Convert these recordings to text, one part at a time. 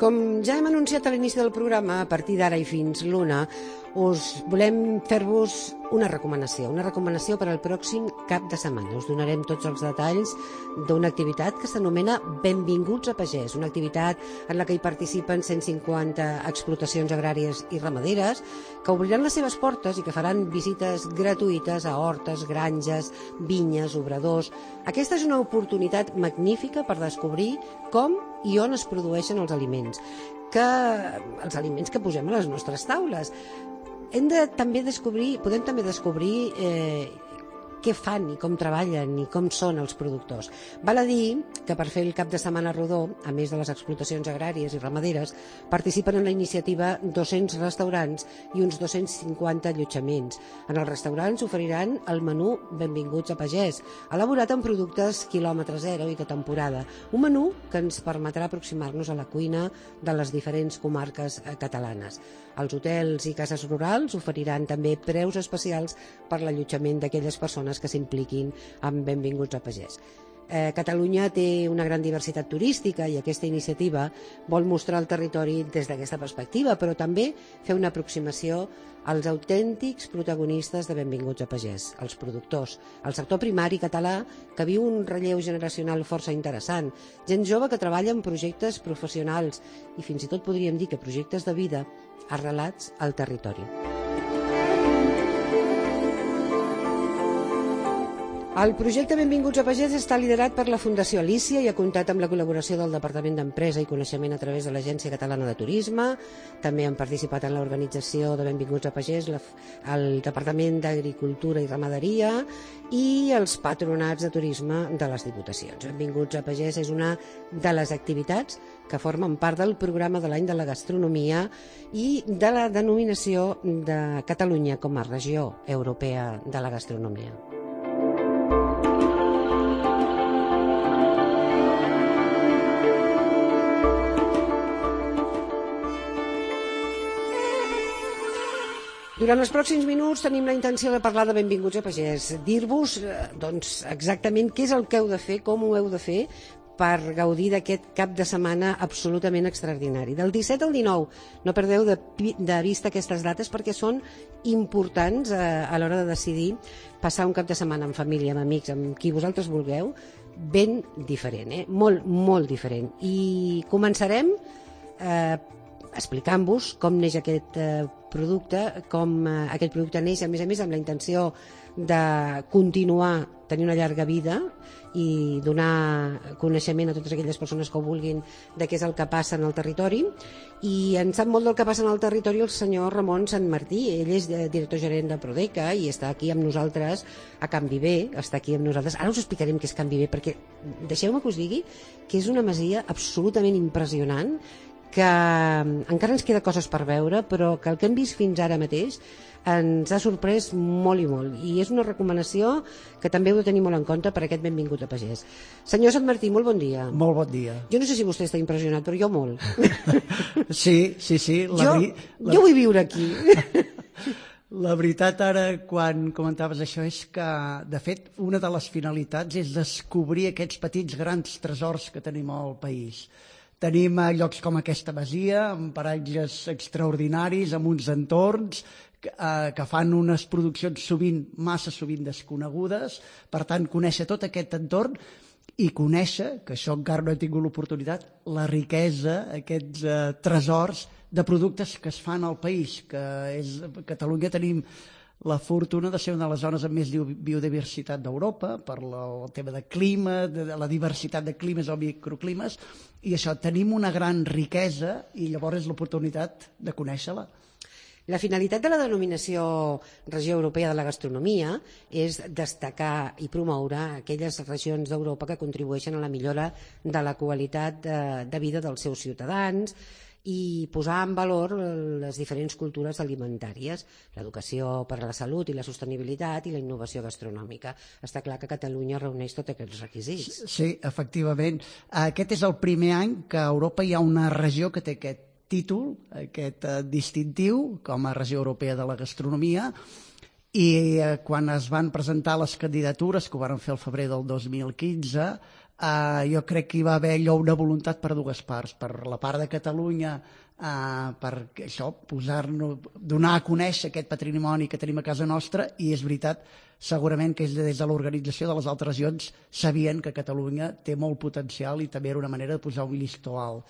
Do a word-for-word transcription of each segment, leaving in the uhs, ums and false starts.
Com ja hem anunciat a l'inici del programa, a partir d'ara i fins l'una, us volem fer-vos una recomanació, una recomanació per al pròxim cap de setmana. Us donarem tots els detalls d'una activitat que s'anomena Benvinguts a Pagès, una activitat en la que hi participen cent cinquanta explotacions agràries i ramaderes que obriran les seves portes i que faran visites gratuïtes a hortes, granges, vinyes, obradors. Aquesta és una oportunitat magnífica per descobrir com i on es produeixen els aliments, que, els aliments que posem a les nostres taules. Hem de també descobrir, podem també descobrir eh, què fan i com treballen i com són els productors. Val a dir que per fer el cap de setmana rodó, a més de les explotacions agràries i ramaderes, participen en la iniciativa dos-cents restaurants i uns dos-cents cinquanta allotjaments. En els restaurants oferiran el menú Benvinguts a Pagès, elaborat amb productes quilòmetre zero i de temporada. Un menú que ens permetrà aproximar-nos a la cuina de les diferents comarques catalanes. Els hotels i cases rurals oferiran també preus especials per l'allotjament d'aquelles persones que s'impliquin en Benvinguts a Pagès. Eh, Catalunya té una gran diversitat turística i aquesta iniciativa vol mostrar el territori des d'aquesta perspectiva, però també fer una aproximació als autèntics protagonistes de Benvinguts a Pagès, els productors, el sector primari català que viu un relleu generacional força interessant, gent jove que treballa en projectes professionals i fins i tot podríem dir que projectes de vida arrelats al territori. El projecte Benvinguts a Pagès està liderat per la Fundació Alícia i ha comptat amb la col·laboració del Departament d'Empresa i Coneixement a través de l'Agència Catalana de Turisme. També han participat en l'organització de Benvinguts a Pagès el Departament d'Agricultura i Ramaderia i els patronats de turisme de les Diputacions. Benvinguts a Pagès és una de les activitats que formen part del programa de l'any de la gastronomia i de la denominació de Catalunya com a regió europea de la gastronomia. Durant els pròxims minuts tenim la intenció de parlar de Benvinguts a Pagès, dir-vos doncs, exactament què és el que heu de fer, com ho heu de fer per gaudir d'aquest cap de setmana absolutament extraordinari. Del disset al dinou, no perdeu de, de vista aquestes dates perquè són importants a, a l'hora de decidir passar un cap de setmana amb família, amb amics, amb qui vosaltres vulgueu, ben diferent, eh? molt, molt diferent. I començarem eh, explicant-vos com neix aquest eh, producte, com eh, aquest producte neix, a més a més, amb la intenció de continuar tenir una llarga vida i donar coneixement a totes aquelles persones que ho vulguin de què és el que passa en el territori. I en sap molt del que passa en el territori el senyor Ramon Santmartí. Ell és director gerent de Prodeca i està aquí amb nosaltres a Can Viver, està aquí amb nosaltres. Ara us explicarem què és Can Viver, perquè deixeu-me que us digui que és una masia absolutament impressionant, que encara ens queda coses per veure, però que el que hem vist fins ara mateix ens ha sorprès molt i molt, i és una recomanació que també heu de tenir molt en compte per aquest Benvingut a Pagès. Senyor Santmartí, molt bon dia. Molt bon dia. Jo no sé si vostè està impressionat, però jo molt. Sí, sí, sí. La jo, veri... la... jo vull viure aquí. La veritat, ara, quan comentaves això, és que, de fet, una de les finalitats és descobrir aquests petits grans tresors que tenim al país. Tenim llocs com aquesta masia, amb paratges extraordinaris, amb uns entorns que, eh, que fan unes produccions sovint, massa sovint desconegudes. Per tant, conèixer tot aquest entorn i conèixer, que això encara no he tingut l'oportunitat, la riquesa, aquests eh, tresors de productes que es fan al país, que és, a Catalunya tenim la fortuna de ser una de les zones amb més biodiversitat d'Europa, per el tema de clima, de la diversitat de climes o microclimes, i això, tenim una gran riquesa i llavors és l'oportunitat de conèixer-la. La finalitat de la denominació Regió Europea de la Gastronomia és destacar i promoure aquelles regions d'Europa que contribueixen a la millora de la qualitat de, de vida dels seus ciutadans i posar en valor les diferents cultures alimentàries, l'educació per a la salut i la sostenibilitat i la innovació gastronòmica. Està clar que Catalunya reuneix tots aquests requisits. Sí, efectivament. Aquest és el primer any que a Europa hi ha una regió que té aquest títol, aquest distintiu, com a Regió Europea de la Gastronomia, i eh, quan es van presentar les candidatures, que ho van fer el febrer del dos mil quinze, eh, jo crec que hi va haver allò una voluntat per dues parts, per la part de Catalunya, eh, per això, posar-nos, donar a conèixer aquest patrimoni que tenim a casa nostra, i és veritat, segurament que des de l'organització de les altres regions sabien que Catalunya té molt potencial i també era una manera de posar un llistó alt.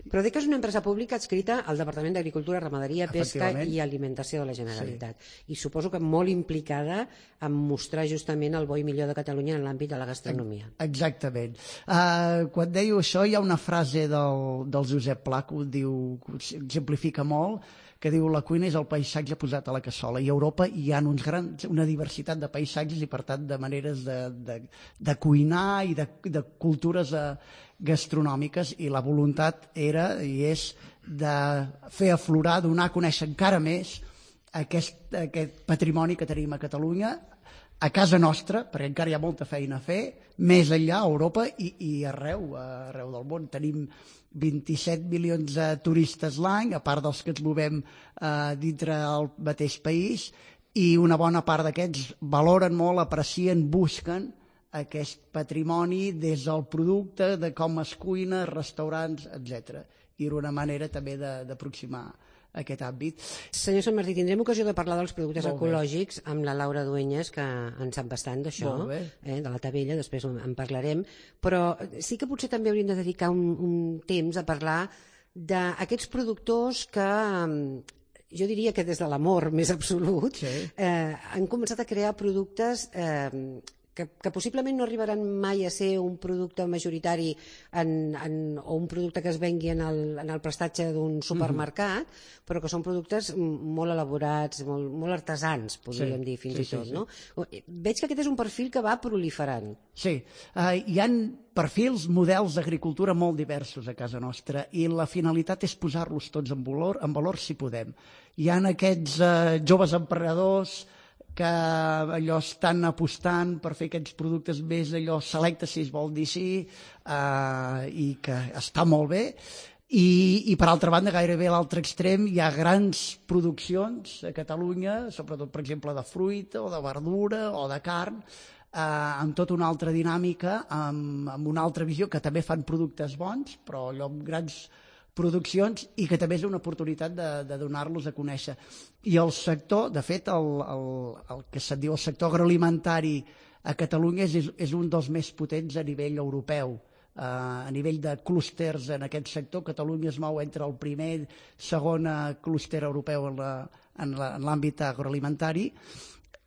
Però dic que és una empresa pública adscrita al Departament d'Agricultura, Ramaderia, Pesca i Alimentació de la Generalitat. Sí. I suposo que molt implicada en mostrar justament el bo i millor de Catalunya en l'àmbit de la gastronomia. Exactament. Uh, quan deia això, hi ha una frase del, del Josep Pla que ho diu, que exemplifica molt, que diu la cuina és el paisatge posat a la cassola, i a Europa hi ha uns grans, una diversitat de paisatges i per tant de maneres de, de, de cuinar i de, de cultures uh, gastronòmiques, i la voluntat era i és de fer aflorar, donar a conèixer encara més aquest, aquest patrimoni que tenim a Catalunya, a casa nostra, perquè encara hi ha molta feina a fer, més enllà a Europa i, i arreu, arreu del món. Tenim vint-i-set milions de turistes l'any, a part dels que ens movem eh, dintre el mateix país, i una bona part d'aquests valoren molt, aprecien, busquen aquest patrimoni des del producte, de com es cuina, restaurants, etcètera. I era una manera també d'aproximar aquest àmbit. Senyor Sant Martí, tindrem ocasió de parlar dels productes Molt ecològics bé. amb la Laura Dueñas, que en sap bastant d'això, eh, de la Tavella, després en parlarem, però sí que potser també hauríem de dedicar un, un temps a parlar d'aquests productors que, jo diria que des de l'amor més absolut, sí. eh, han començat a crear productes eh, Que, que possiblement no arribaran mai a ser un producte majoritari en, en, o un producte que es vengui en el, en el prestatge d'un supermercat, mm-hmm. però que són productes molt elaborats, molt, molt artesans, podríem sí, dir fins sí, i tot. Sí, no? Sí. Veig que aquest és un perfil que va proliferant. Sí, uh, hi ha perfils, models d'agricultura molt diversos a casa nostra, i la finalitat és posar-los tots en valor, en valor si podem. Hi ha aquests uh, joves emprenedors que allò estan apostant per fer aquests productes més allò selectes, si es vol dir així, eh, i que està molt bé. I, i per altra banda, gairebé a l'altre extrem, hi ha grans produccions a Catalunya, sobretot, per exemple, de fruita o de verdura o de carn, eh, amb tota una altra dinàmica, amb, amb una altra visió, que també fan productes bons, però allò amb grans produccions, i que també és una oportunitat de, de donar-los a conèixer. I el sector, de fet, el, el, el que se'n diu el sector agroalimentari a Catalunya és, és un dels més potents a nivell europeu. Uh, a nivell de clústers en aquest sector, Catalunya es mou entre el primer i segon clúster europeu en l'àmbit agroalimentari,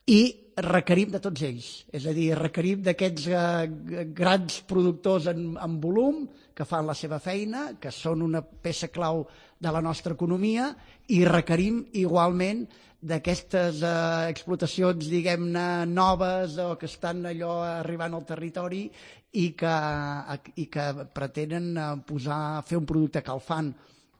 i requerim de tots ells, és a dir, requerim d'aquests uh, grans productors en, en volum, que fan la seva feina, que són una peça clau de la nostra economia, i requerim igualment d'aquestes uh, explotacions, diguem-ne, noves o que estan allò arribant al territori i que, i que pretenen uh, posar, fer un producte que el fan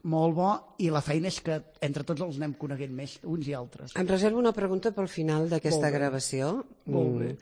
molt bo, i la feina és que entre tots els anem coneguent més, uns i altres. Em reservo una pregunta pel final d'aquesta gravació. Molt bé.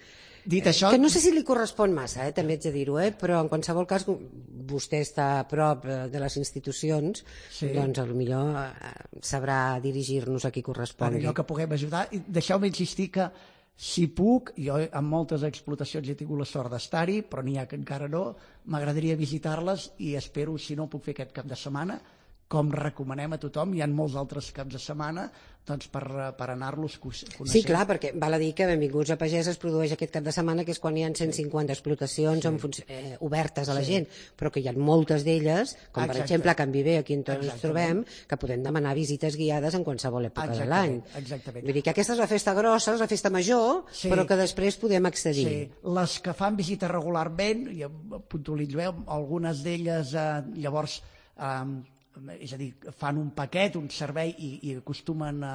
Dit això... Que no sé si li correspon massa, eh, també haig de dir-ho, eh, però en qualsevol cas vostè està a prop de les institucions, sí. Doncs potser eh, sabrà dirigir-nos a qui correspongui. Allò que puguem ajudar. Deixeu-me insistir que si puc, jo en moltes explotacions he tingut la sort d'estar-hi, però n'hi ha que encara no, m'agradaria visitar-les, i espero, si no ho puc fer aquest cap de setmana, com recomanem a tothom, hi ha molts altres caps de setmana, doncs per, per anar-los coneixent. Sí, clar, perquè val a dir que Benvinguts a Pagès es produeix aquest cap de setmana, que és quan hi ha cent cinquanta explotacions sí. en eh, obertes a la sí. gent, però que hi ha moltes d'elles, com Exacte. per exemple a Can Viver, aquí on ens trobem, que podem demanar visites guiades en qualsevol època Exactament. de l'any. Exactament. Vull dir que aquesta és la festa grossa, és la festa major, sí. però que després podem accedir. Sí. Les que fan visita regularment, i puntualitzeu, algunes d'elles eh, llavors... Eh, és a dir, fan un paquet, un servei, i, i acostumen a,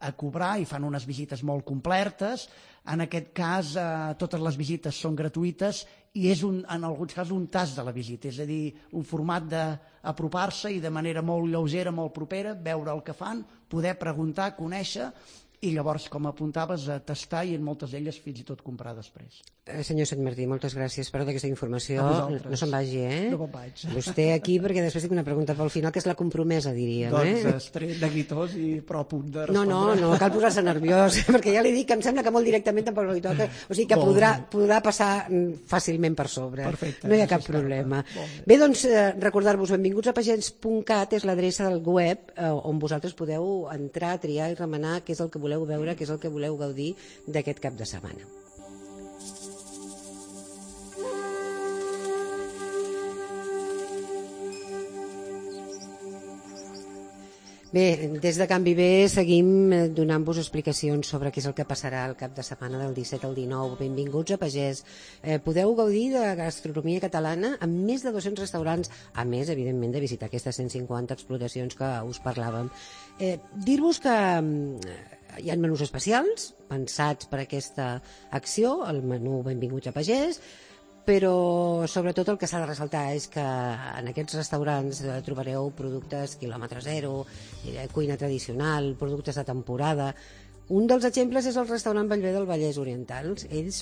a cobrar, i fan unes visites molt completes. En aquest cas, eh, totes les visites són gratuïtes, i és un, en alguns casos un tast de la visita, és a dir, un format d'apropar-se i de manera molt lleugera, molt propera, veure el que fan, poder preguntar, conèixer, i llavors, com apuntaves, a tastar i en moltes d'elles fins i tot comprar després. Eh, senyor Sant Martí, moltes gràcies per tota aquesta informació. No se'n vagi, eh? No me'n vaig. Vostè aquí, perquè després tinc una pregunta pel final, que és la compromesa, diríem, doncs, eh? Doncs estaré neguitós i prou a punt de respondre. No, no, no cal posar-se nerviós, perquè ja li dic que em sembla que molt directament tampoc li toca, o sigui que podrà, podrà passar fàcilment per sobre. Perfecte. No hi ha cap problema. Bé, doncs, eh, recordar-vos, benvinguts a pagès punt cat és l'adreça del web eh, on vosaltres podeu entrar, triar i remenar què és el que voleu veure, què és el que voleu gaudir d'aquest cap de setmana. Bé, des de Canvi B seguim donant-vos explicacions sobre què és el que passarà el cap de setmana del disset al dinou. Benvinguts a Pagès. Eh, podeu gaudir de gastronomia catalana amb més de dos-cents restaurants, a més, evidentment, de visitar aquestes cent cinquanta explotacions que us parlàvem. Eh, dir-vos que hi ha menús especials pensats per aquesta acció, el menú Benvinguts a Pagès, però sobretot el que s'ha de ressaltar és que en aquests restaurants trobareu productes quilòmetre zero, cuina tradicional, productes de temporada. Un dels exemples és el restaurant Bellver del Vallès Oriental. Ells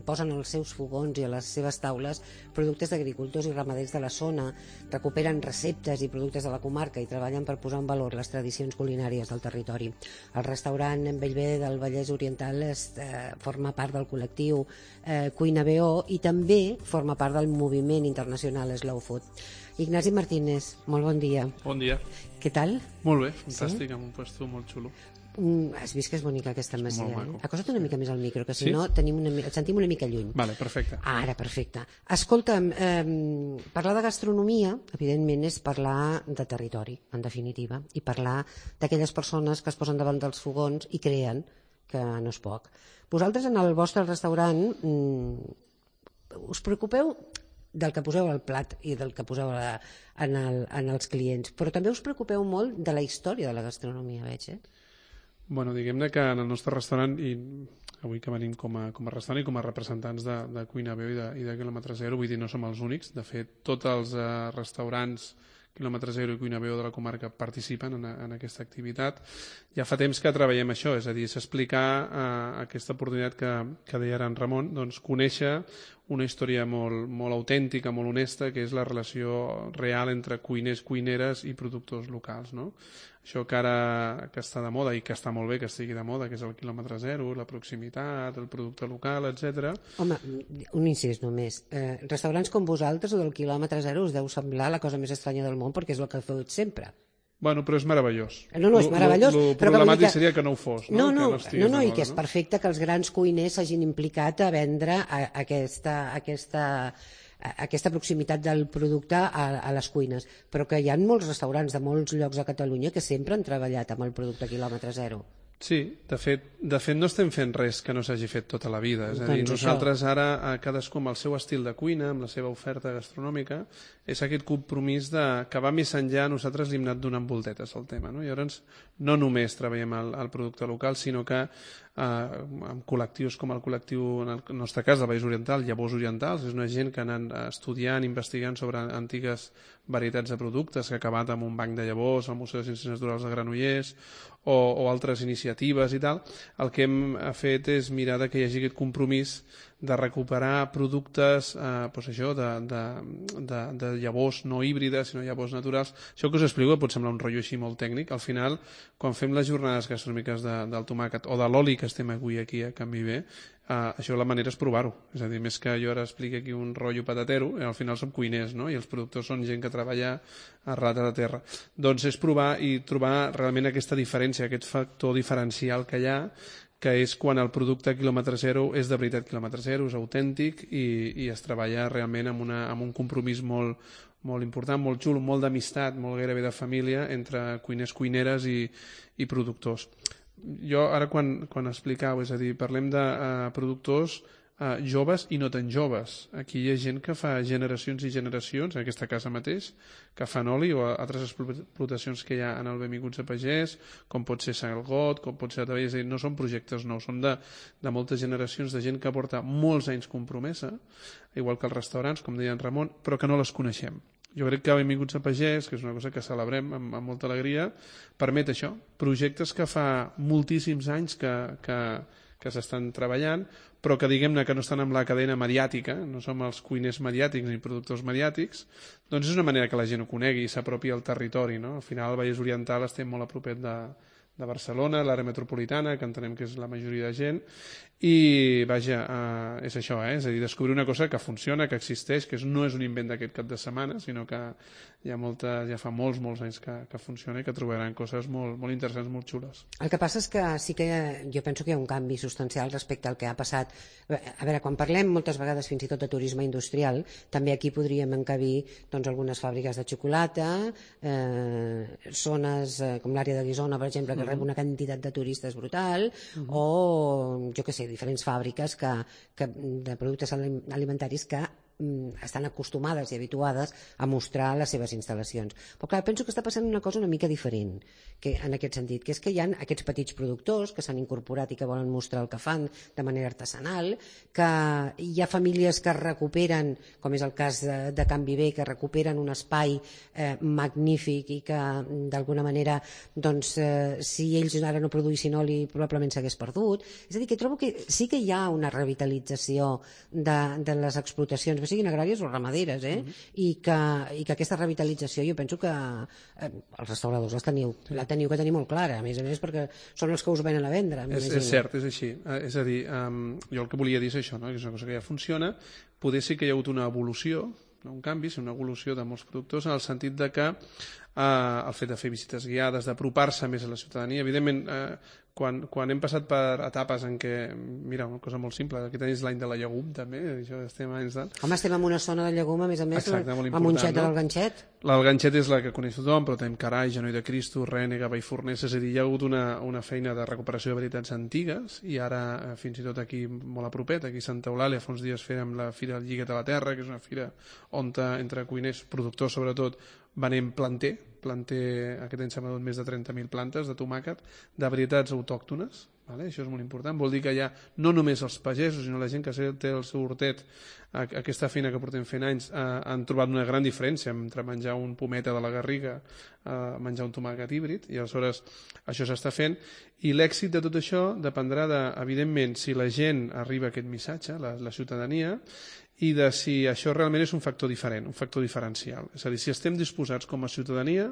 posen als seus fogons i a les seves taules productes d'agricultors i ramaders de la zona, recuperen receptes i productes de la comarca i treballen per posar en valor les tradicions culinàries del territori. El restaurant Bellver del Vallès Oriental es, eh, forma part del col·lectiu eh, Cuina B O i també forma part del moviment internacional Slow Food. Ignasi Martínez, molt bon dia. Bon dia. Què tal? Molt bé, fantàstic, sí? Amb un puesto molt xulo. Mm, has vist que és bonica aquesta masia, eh? Acosta't una mica més al micro, que si sí? no tenim una, et sentim una mica lluny. Vale, perfecte. Ara, perfecte. Escolta'm, eh, parlar de gastronomia, evidentment, és parlar de territori, en definitiva, i parlar d'aquelles persones que es posen davant dels fogons i creen, que no és poc. Vosaltres, en el vostre restaurant, mm, us preocupeu del que poseu al plat i del que poseu a, en, el, en els clients, però també us preocupeu molt de la història de la gastronomia, veig, eh? Bueno, diguem-ne que en el nostre restaurant, i avui que venim com a, com a restaurant i com a representants de, de Cuina B O i de, i de Quilòmetre Zero, vull dir, no som els únics. De fet, tots els eh, restaurants Quilòmetre Zero i Cuina B O de la comarca participen en, en aquesta activitat. Ja fa temps que treballem això, és a dir, s'explicar eh, aquesta oportunitat que, que deia ara en Ramon, doncs conèixer una història molt, molt autèntica, molt honesta, que és la relació real entre cuiners, cuineres i productors locals, no? Això que ara que està de moda i que està molt bé que estigui de moda, que és el quilòmetre zero, la proximitat, el producte local, etcètera. Home, un incís només. Eh, restaurants com vosaltres o del quilòmetre zero us deu semblar la cosa més estranya del món perquè és el que feu sempre. Bueno, però és meravellós. No, no, és meravellós. El problemàtic que... seria que no ho fos. No, no, no, que no, no, no i que és perfecte que els grans cuiners s'hagin implicat a vendre a, a aquesta... A aquesta aquesta proximitat del producte a, a les cuines, però que hi ha molts restaurants de molts llocs a Catalunya que sempre han treballat amb el producte quilòmetre zero. Sí, de fet, de fet no estem fent res que no s'hagi fet tota la vida. És a dir, doncs nosaltres això. Ara, cadascú amb el seu estil de cuina, amb la seva oferta gastronòmica, és aquest compromís de, que va més enllà, nosaltres li hem anat donant voltetes al tema. No? Llavors, no només treballem el, el producte local, sinó que eh, amb col·lectius com el col·lectiu, en el nostre cas, del Vallès Oriental, Llavors Orientals, és una gent que ha anat estudiant, investigant sobre antigues varietats de productes, que ha acabat amb un banc de llavors al Museu de Ciències Naturals de Granollers, o, o altres iniciatives i tal. El que hem fet és mirar que hi hagi aquest compromís de recuperar productes eh, doncs això, de, de, de, de llavors no híbrides, sinó llavors naturals. Això que us explico pot semblar un rotllo així molt tècnic. Al final, quan fem les jornades gastronòmiques de, del tomàquet o de l'oli que estem avui aquí a Can Viver, Uh, això la manera és provar-ho, és a dir, més que jo ara expliqui aquí un rotllo patatero, al final som cuiners, no? I els productors són gent que treballa arrelat a la terra. Doncs és provar i trobar realment aquesta diferència, aquest factor diferencial que hi ha, que és quan el producte quilòmetre zero és de veritat quilòmetre zero, és autèntic i, i es treballa realment amb, una, amb un compromís molt, molt important, molt xulo, molt d'amistat, molt gairebé de família entre cuiners, cuineres i, i productors. Jo ara quan, quan explicau, és a dir, parlem de uh, productors uh, joves i no tan joves. Aquí hi ha gent que fa generacions i generacions, en aquesta casa mateix, que fan oli o altres explotacions que hi ha en el Benvinguts a Pagès, com pot ser Salgot, com pot ser Atavell, és a dir, no són projectes nous, són de, de moltes generacions de gent que porta molts anys compromesa, igual que els restaurants, com deia en Ramon, però que no les coneixem. Jo crec que Benvinguts a Pagès, que és una cosa que celebrem amb, amb molta alegria, permet això, projectes que fa moltíssims anys que, que, que s'estan treballant, però que diguem-ne que no estan amb la cadena mediàtica, no som els cuiners mediàtics ni productors mediàtics, doncs és una manera que la gent ho conegui i s'apropi al territori, no? Al final, el Vallès Oriental estem molt a propet de, de Barcelona, l'àrea metropolitana, que entenem que és la majoria de gent, i vaja, eh, és això, eh? És a dir, descobrir una cosa que funciona, que existeix, que és, no és un invent d'aquest cap de setmana, sinó que hi ha molta, ja fa molts, molts anys que, que funciona i que trobaran coses molt, molt interessants, molt xules. El que passa és que sí que jo penso que hi ha un canvi substancial respecte al que ha passat. A veure, quan parlem moltes vegades fins i tot de turisme industrial, també aquí podríem encabir doncs, algunes fàbriques de xocolata, eh, zones eh, com l'àrea de Guissona, per exemple, que uh-huh. rep una quantitat de turistes brutal, uh-huh. o, jo què sé, diferents fàbriques que, que, de productes alimentaris que estan acostumades i habituades a mostrar les seves instal·lacions. Però clar, penso que està passant una cosa una mica diferent que, en aquest sentit, que és que hi ha aquests petits productors que s'han incorporat i que volen mostrar el que fan de manera artesanal, que hi ha famílies que recuperen, com és el cas de, de Can Viver, que recuperen un espai eh, magnífic i que d'alguna manera doncs, eh, si ells ara no produïssin oli probablement s'hagués perdut. És a dir, que trobo que sí que hi ha una revitalització de, de les explotacions, siguin agràries o ramaderes, eh? Uh-huh. I, que, i que aquesta revitalització jo penso que eh, els restauradors les teniu, sí. la teniu que tenir molt clara, a més a més perquè són els que us venen a vendre. És, és cert, és així. Eh, és a dir, um, jo el que volia dir és això, no? Que és una cosa que ja funciona. Poder sí que hi ha hagut una evolució, no un canvi, sinó una evolució de molts productors en el sentit de que eh, el fet de fer visites guiades, d'apropar-se més a la ciutadania, evidentment eh, quan, quan hem passat per etapes en què, mira, una cosa molt simple, aquí tenis l'any de la llegum també, això estem anys de... Home, estem en una zona de llegum, a més a més, exacte, la Monxeta no? del Ganxet. El Ganxet és la que coneix tothom, però tenim Carai, Genoll de Cristo, Rènega, Vallforners, és a dir, hi ha hagut una, una feina de recuperació de varietats antigues i ara, eh, fins i tot aquí molt a propet, aquí a Santa Eulàlia, fa uns dies fèrem la Fira del Lliguet a la Terra, que és una fira on entre cuiners, productors sobretot, venem planter, planter, aquest any s'ha venut més de trenta mil plantes de tomàquet, de varietats autòctones, vale? Això és molt important, vol dir que hi ha no només els pagesos, sinó la gent que té el seu hortet, aquesta feina que portem fent anys, eh, han trobat una gran diferència entre menjar un pometa de la Garriga, eh, menjar un tomàquet híbrid, i aleshores això s'està fent, i l'èxit de tot això dependrà de, evidentment, si la gent arriba a aquest missatge, la, la ciutadania, i de si això realment és un factor diferent, un factor diferencial. És a dir, si estem disposats com a ciutadania,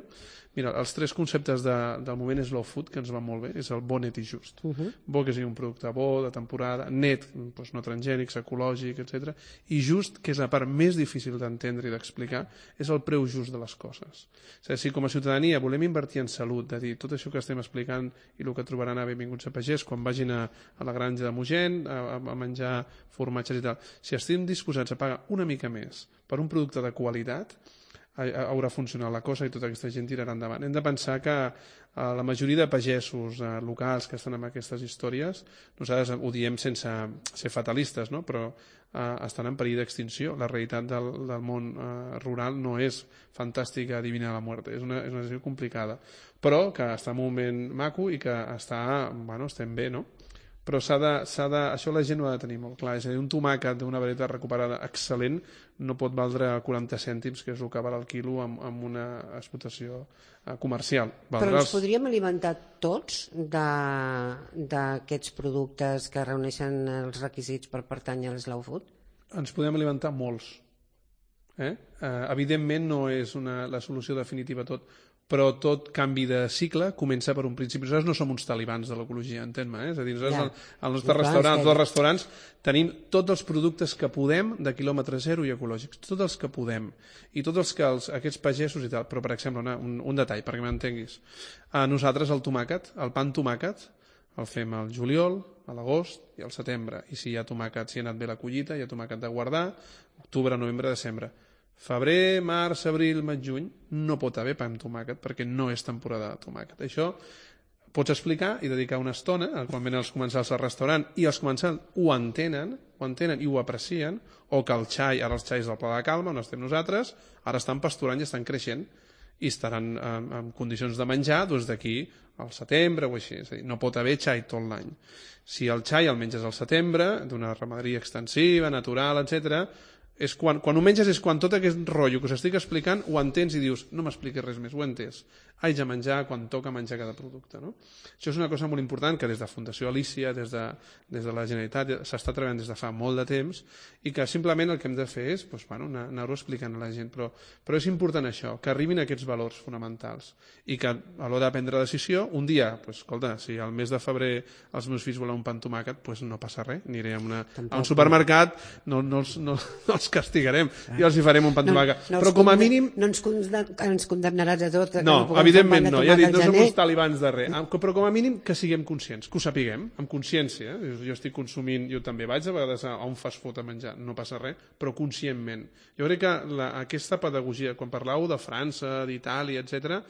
mira, els tres conceptes de, del moment és slow food, que ens va molt bé, és el bo, net i just. Uh-huh. Bo, que sigui un producte bo, de temporada, net, doncs no transgènics, ecològic, etcètera. I just, que és la part més difícil d'entendre i d'explicar, és el preu just de les coses. És a dir, si com a ciutadania volem invertir en salut, de dir tot això que estem explicant i el que trobaran a Benvinguts a Pagès, quan vagin a, a la granja de Mogent, a, a menjar formatges i tal, si estem disposats a pagar una mica més per un producte de qualitat, haurà funcionat la cosa i tota aquesta gent tirarà endavant. Hem de pensar que eh, la majoria de pagesos eh, locals que estan en aquestes històries, nosaltres ho diem sense ser fatalistes, no? Però eh, estan en perill d'extinció. La realitat del, del món eh, rural no és fantàstica adivinar la mort, és una, és una situació complicada, però que està en un moment maco i que està, bueno, estem bé, no? Però s'ha de, s'ha de, això la gent ho ha de tenir molt clar. És a dir, un tomàquet d'una varietat recuperada excel·lent no pot valdre quaranta cèntims, que és el que val el quilo amb, amb una explotació eh, comercial. Valdrà Però ens els... podríem alimentar tots d'aquests productes que reuneixen els requisits per pertànyer a l'slow food? Ens podem alimentar molts. Eh? Eh, evidentment no és una, la solució definitiva a tot, però tot canvi de cicle comença per un principi. Nosaltres no som uns talibans de l'ecologia, entén-me, eh? És a dir, nosaltres ja. al, al nostre restaurant, tots els restaurants, tenim tots els productes que podem de quilòmetre zero i ecològics, tots els que podem, i tots els que els, aquests pagesos i tal, però per exemple, una, un, un detall, perquè m'entenguis, a nosaltres el tomàquet, el pa amb tomàquet, el fem al juliol, a l'agost i al setembre, i si hi ha tomàquet, si ha anat bé la collita, hi ha tomàquet de guardar, octubre, novembre, desembre. Febrer, març, abril, maig, juny no pot haver pa amb tomàquet perquè no és temporada de tomàquet. Això pots explicar i dedicar una estona quan venen els comensals al restaurant i els comensals ho entenen, ho entenen i ho aprecien, o que el xai, ara els xais del Pla de Calma, on estem nosaltres, ara estan pasturant i estan creixent i estaran en, en condicions de menjar doncs d'aquí al setembre o així. És a dir, no pot haver xai tot l'any. Si el xai el menges al setembre, d'una ramaderia extensiva, natural, etcètera, És quan, quan ho menges és quan tot aquest rotllo que us estic explicant ho entens i dius, no m'expliquis res més, ho he entès. Haig de menjar quan toca menjar cada producte. No? Això és una cosa molt important que des de Fundació Alícia, des de, des de la Generalitat, s'està treballant des de fa molt de temps i que simplement el que hem de fer és doncs, bueno, anar-ho explicant a la gent. Però, però és important això, que arribin aquests valors fonamentals i que a l'hora de prendre decisió, un dia, doncs, escolta, si al mes de febrer els meus fills volen un pa amb tomàquet, doncs no passa res, aniré a, una, a un supermercat, no, no, els, no, no els castigarem, ah. i els hi farem un pa amb tomàquet. No, no però com a mínim... No ens, condemn, ens condemnaràs a tot. No, no evidentment no, ja he dit, no som uns talibans de res, però com a mínim que siguem conscients, que ho sapiguem, amb consciència. Eh? Jo estic consumint, jo també vaig a vegades a un fast food a menjar, no passa res, però conscientment. Jo crec que la, aquesta pedagogia, quan parlàveu de França, d'Itàlia, etcètera,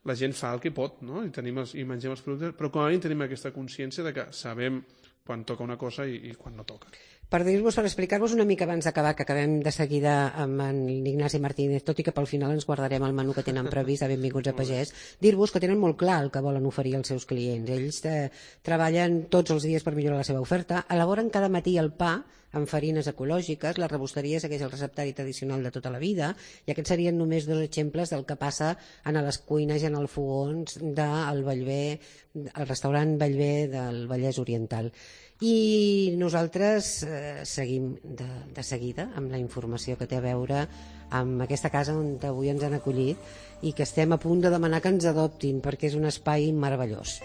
la gent fa el que pot, no? I, tenim els, i mengem els productes, però com a mínim tenim aquesta consciència de que sabem quan toca una cosa i, i quan no toca. Per dir-vos, per explicar-vos una mica abans d'acabar, que acabem de seguida amb en Ignasi Martínez, tot i que pel final ens guardarem el menú que tenen previst a Benvinguts a Pagès, dir-vos que tenen molt clar el que volen oferir als seus clients. Ells eh, treballen tots els dies per millorar la seva oferta, elaboren cada matí el pa amb farines ecològiques, la rebosteria segueix el receptari tradicional de tota la vida, i aquests serien només dos exemples del que passa en les cuines i en els fogons del Bellver, el restaurant Bellver del Vallès Oriental. I nosaltres eh, seguim de, de seguida amb la informació que té a veure amb aquesta casa on avui ens han acollit i que estem a punt de demanar que ens adoptin perquè és un espai meravellós.